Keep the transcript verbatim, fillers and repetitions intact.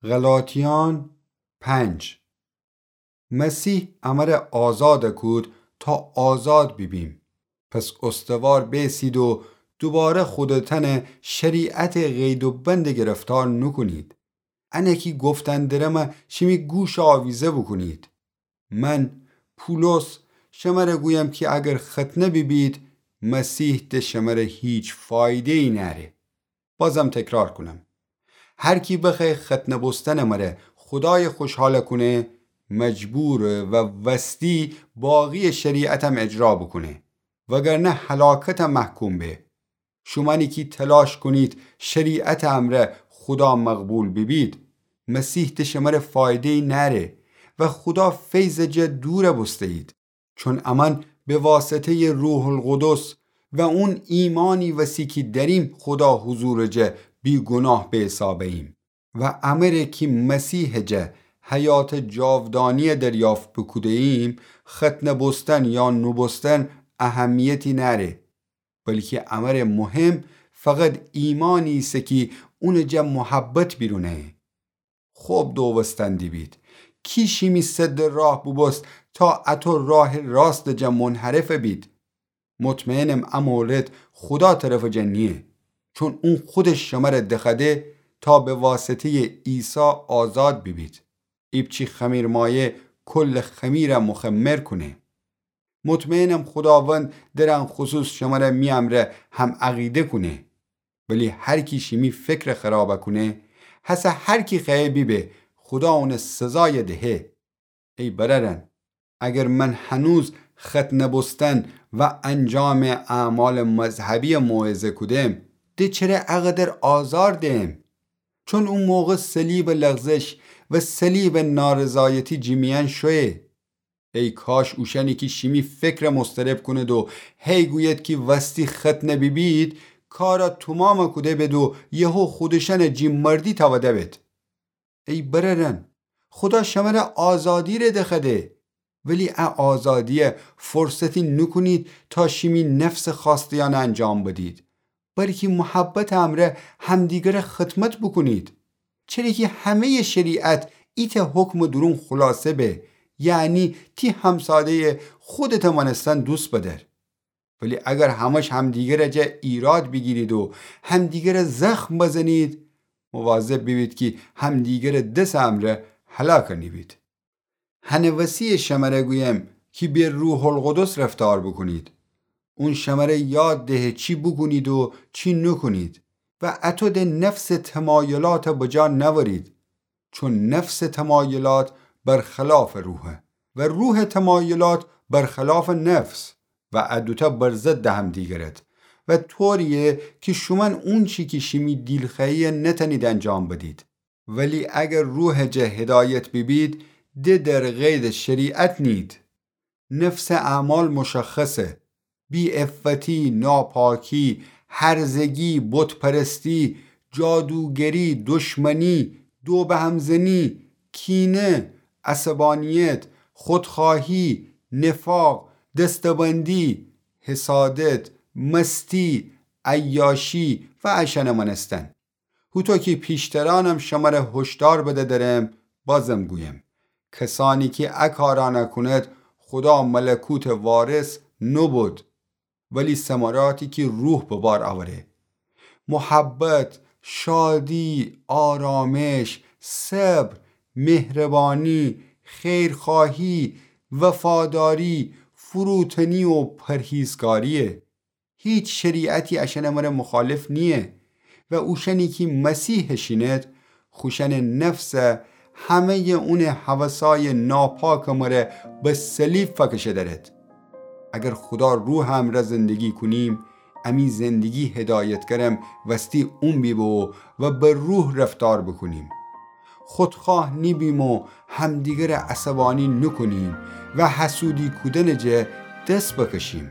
غلاطیان پنج. مسیح امر آزاد کود تا آزاد بیبیم. پس استوار بیسید و دوباره خودتان شریعت قید و بند گرفتار نوکونید. انه کی گفتن درم شیمی گوش آویزه بوکونید. من پولس شمر گویم کی اگر ختنه بیبید، مسیح ده شمر هیچ فایده‌ای نأره. بازم تکرار کونم، هر کی بخوأیه ختنه بوستن مره خودای خوشحال کونه، مجبوره و وستی باقی شریعتم اجرا بوکونه، وگرنه هلاکت محکوم به. شومأنی کی تلاش کونید شریعت امرأ خودا مقبول بیبید، مسیح ده شمر فایده‌ای نأره و خودا فیض جا دور بوسته‌یید. چون امأن به واسطه‌ی روح‌القدس و اون ایمانی وسی کی دأریم خودا حضور جا بی‌گناه به حساب اییم و امره کی مسیح جا حیات جاودانی دریافت بوکوده‌ییم، ختنه بوستن یا نوبوستن اهمیتی نأره، بلکی امر مهم فقط ایمانی ایسه کی اون جا محبت بیرونه. خب دووستن دیبید، کی شیمی سد راه بوبوست تا اطو راه راست جا منحرف بید؟ مطمئنم ا مورد خودا طرف جا نییه، چون اون خودش شمر دخوأده تا به واسطه‌ی عیسی آزاد بیبید. ایپچی خمیرمایه کل خمیر مخمر کونه. مطمئنم خوداوند در ان خصوص شمر می امرأ هم‌عقیده کونه. ولی هر کی شیمی فکر خراب کونه، هسه هر کی خوأیه بیبه، خودا اون سزای دهه. ای برأرأن، اگر من هنوز ختنه بوستن و انجام اعمال مذهبی موعظه کودم، ده چره اقدر آزار دهم؟ چون او موقع صلیب لغزش و صلیب نارضایتی جی میأن شویه. ای کاش اوشأنی کی شیمی فکر مضطرب کونید و هی گوید کی وستی ختنه بیبید، کار تومام کوده بید و یهو خودشأن جی مردی تأوده بید. ای برأرأن، خودا شمر آزادی ره دخوأده، ولی ا آزادی فرصتی نوکونید تا شیمی نفس خواسته‌یأن انجام بدید، بلکی محبت امرأ همدیگر خدمت بوکونید. چره کی همه‌ی شریعت ایتأ حکم دورون خلاصه به، یعنی تی همساده‌ی خودت مأنستن دوست بدأر. ولی اگر همش همدیگر جا ایراد بیگیرید و همدیگر زخم بزنید، مواظب بیبید کی همدیگر دس امرأ هلاک نیبید. هنه وسی شمر گویم کی به روح‌القدس رفتار بوکونید. اون شمر یاد دهه چی بوکونید و چی نوکونید و اطو ده نفس تمایلات بجا نأورید. چون نفس تمایلات برخلاف روحه و روح تمایلات برخلاف نفس و ا دوتأ بر ضد همدیگرد و طوریه کی شومأن اونچی کی شیمی دیل خوأیه نتأنید انجام بدید. ولی اگر روح جا هدایت بیبید، ده در قید شریعت نید. نفس اعمال مشخصه: بی‌عفتی، ناپاکی، هرزگی، بت‌پرستی، جادوگری، دشمنی، دو به هم زنی، کینه، عصبانیت، خودخواهی، نفاق، دسته‌بندی، حسادت، مستی، عیاشی و اشأنه مأنستن. هوطو کی پیشترأنم شمر هشدار بده درم، بازم گویم، کسأنی کی ا کارأنه کونید، خودا ملکوت وارث نوبود، ولی ثمراتی کی روح به بار اوره: محبت، شادی، آرامش، صبر، مهربانی، خیرخواهی، وفاداری، فروتنی و پرهیزکاریه. هیچ شریعتی اشأنٚ مره مخالف نییه و اوشأنی کی مسیحٚ شینید، خوشأنٚ نفس همه‌یٚ اونٚ هوسای ناپاکٚ مره به صلیب فکشه درید. اگر خودا روحٚ امرأ زندگی کونیم، امی زندگی هدایتگرم وستی اون بیبو و به روح رفتار بوکونیم. خودخواه نیبیم و همدیگره عصبانی نوکونیم و حسودی کودنٚ جه دس بکشیم.